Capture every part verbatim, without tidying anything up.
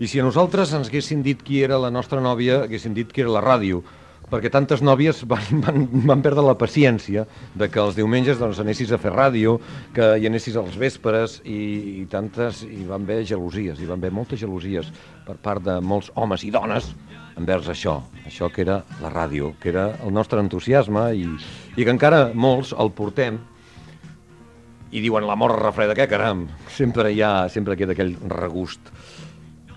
I si a nosaltres ens haguessin dit qui era la nostra nòvia, haguessin dit que era la ràdio, perquè tantes nòvies van, van, van perdre la paciència de que els diumenges doncs, anessis a fer ràdio, que hi anessis als vespres, i, i tantes, hi van haver gelosies, hi van haver moltes gelosies per part de molts homes i dones envers això, això que era la ràdio, que era el nostre entusiasme i, i que encara molts el portem i diuen la morra refreda, què caram, sempre hi ha, sempre queda aquell regust.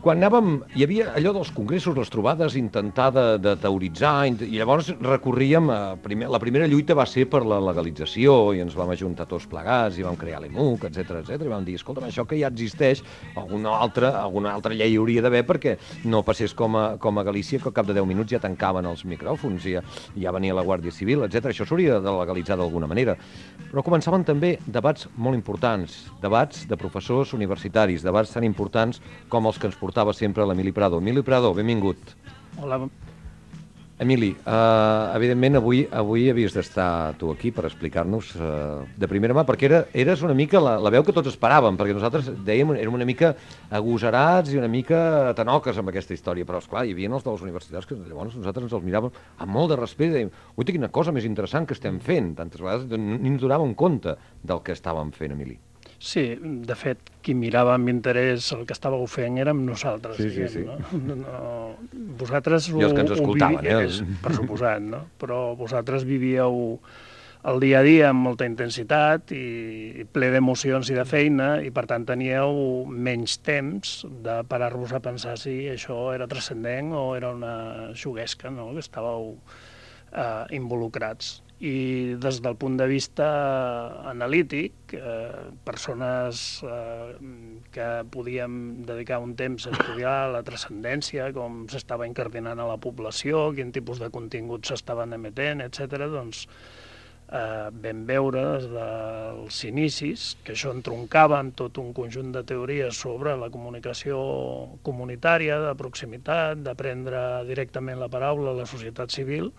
Quan anàvem, hi havia allò dels congressos, les trobades, intentar de, de teoritzar, i llavors recorríem, a primer, la primera lluita va ser per la legalització, i ens vam ajuntar tots plegats, i vam crear l'E M U C, etcètera, etcètera, i vam dir, escolta'm, això que ja existeix, alguna altra, alguna altra llei hauria d'haver perquè no passés com a, com a Galícia, que al cap de deu minuts ja tancaven els micròfons, i ja, ja venia la Guàrdia Civil, etcètera. Això s'hauria de legalitzar d'alguna manera. Però començaven també debats molt importants, debats de professors universitaris, debats tan importants com els que ens portaven portava sempre l'Emili Prado. Emili Prado, benvingut. Hola. Emili, uh, evidentment avui avui havies d'estar tu aquí per explicar-nos uh, de primera mà, perquè era, eres una mica la, la veu que tots esperàvem, perquè nosaltres dèiem, érem una mica agosarats i una mica tanoques amb aquesta història, però esclar, hi havia els de les universitats que llavors nosaltres ens els miràvem amb molt de respecte i dèiem, ui, quina cosa més interessant que estem fent, tantes vegades ni ens donàvem compte del que estàvem fent, Emili. Sí, de fet, qui mirava amb interès el que estàveu fent érem nosaltres, sí, diguem, sí, sí. no? no? Vosaltres ho, I els que ens escoltaven, ho vivíeu, eh? per suposat, no? Però vosaltres vivíeu el dia a dia amb molta intensitat i ple d'emocions i de feina, i per tant teníeu menys temps de parar-vos a pensar si això era transcendent o era una xuguesca, no? Que estàveu eh, involucrats. I des del punt de vista analític, eh, persones eh, que podíem dedicar un temps a estudiar la transcendència, com s'estava incardinant a la població, quin tipus de continguts s'estaven emetent, etcètera, doncs eh, vam veure des dels inicis que això entroncava en tot un conjunt de teories sobre la comunicació comunitària, de proximitat, de prendre directament la paraula a la societat civil,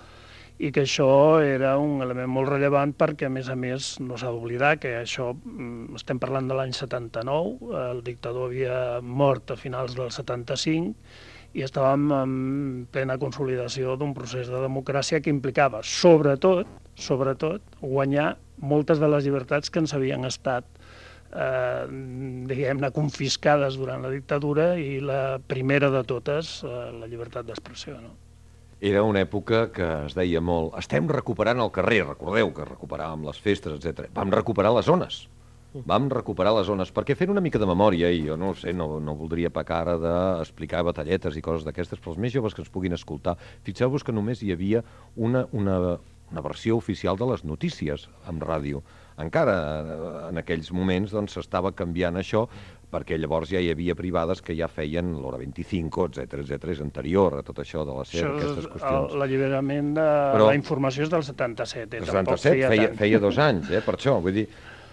i que això era un element molt rellevant perquè, a més a més, no s'ha d'oblidar que això, estem parlant de l'any setanta-nou, el dictador havia mort a finals del setanta-cinc i estàvem en plena consolidació d'un procés de democràcia que implicava, sobretot, sobretot, guanyar moltes de les llibertats que ens havien estat eh, diguem-ne, confiscades durant la dictadura, i la primera de totes, eh, la llibertat d'expressió, no? Era una època que es deia molt, estem recuperant el carrer, recordeu que recuperàvem les festes, etcètera. Vam recuperar les zones, vam recuperar les zones, perquè fent una mica de memòria, i jo no ho sé, no, no voldria pecar ara d'explicar batalletes i coses d'aquestes, però els més joves que ens puguin escoltar, fixeu-vos que només hi havia una, una, una versió oficial de les notícies en ràdio. Encara en aquells moments doncs, s'estava canviant això, perquè llavors ja hi havia privades que ja feien l'Hora vint-i-cinc, etcètera, etcètera, és anterior a tot això de la S E R, aquestes qüestions. L'alliberament de però, la informació és del setanta-set, eh? El setanta-set feia, feia, feia dos anys, eh, per això, vull dir...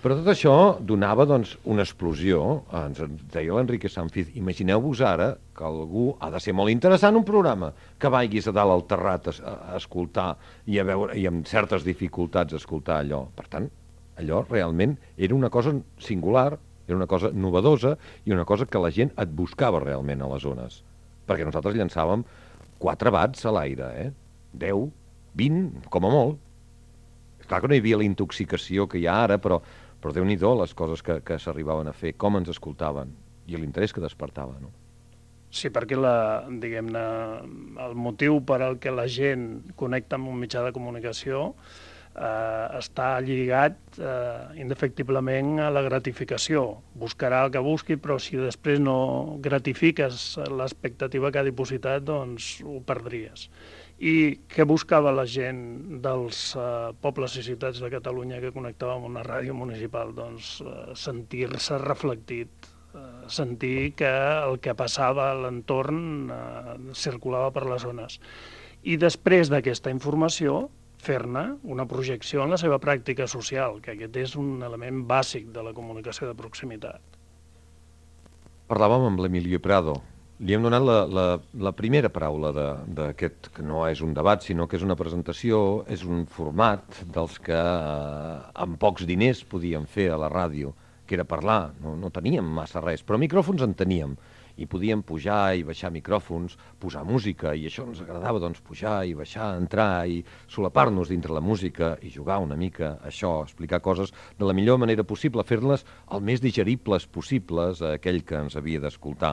Però tot això donava, doncs, una explosió, ens deia l'Enrique Sanfiz, imagineu-vos ara que algú ha de ser molt interessant un programa, que vaiguis a dalt al terrat a, a escoltar i, a veure, i amb certes dificultats a escoltar allò. Per tant, allò realment era una cosa singular, era una cosa novedosa i una cosa que la gent et buscava realment a les zones. Perquè nosaltres llançàvem quatre bats a l'aire, eh? deu, vint, com a molt. És clar que no hi havia la intoxicació que hi ha ara, però, però Déu-n'hi-do les coses que, que s'arribaven a fer, com ens escoltaven i l'interès que despertava, no? Sí, perquè la, diguem-ne, el motiu per al que la gent connecta amb un mitjà de comunicació Eh, està lligat eh, indefectiblement a la gratificació. Buscarà el que busqui, però si després no gratifiques l'expectativa que ha dipositat, doncs ho perdries. I què buscava la gent dels eh, pobles i ciutats de Catalunya que connectava amb una ràdio municipal? Doncs eh, sentir-se reflectit, eh, sentir que el que passava a l'entorn eh, circulava per les zones. I després d'aquesta informació, fer-ne una projecció en la seva pràctica social, que aquest és un element bàsic de la comunicació de proximitat. Parlàvem amb l'Emilio Prado. Li hem donat la, la, la primera paraula d'aquest, que no és un debat, sinó que és una presentació, és un format dels que eh, amb pocs diners podíem fer a la ràdio, que era parlar, no, no teníem massa res, però micròfons en teníem. i podíem pujar i baixar micròfons, posar música, i això ens agradava, doncs, pujar i baixar, entrar i solapar-nos dintre la música i jugar una mica, això, explicar coses de la millor manera possible, fer-les el més digeribles possibles a aquell que ens havia d'escoltar.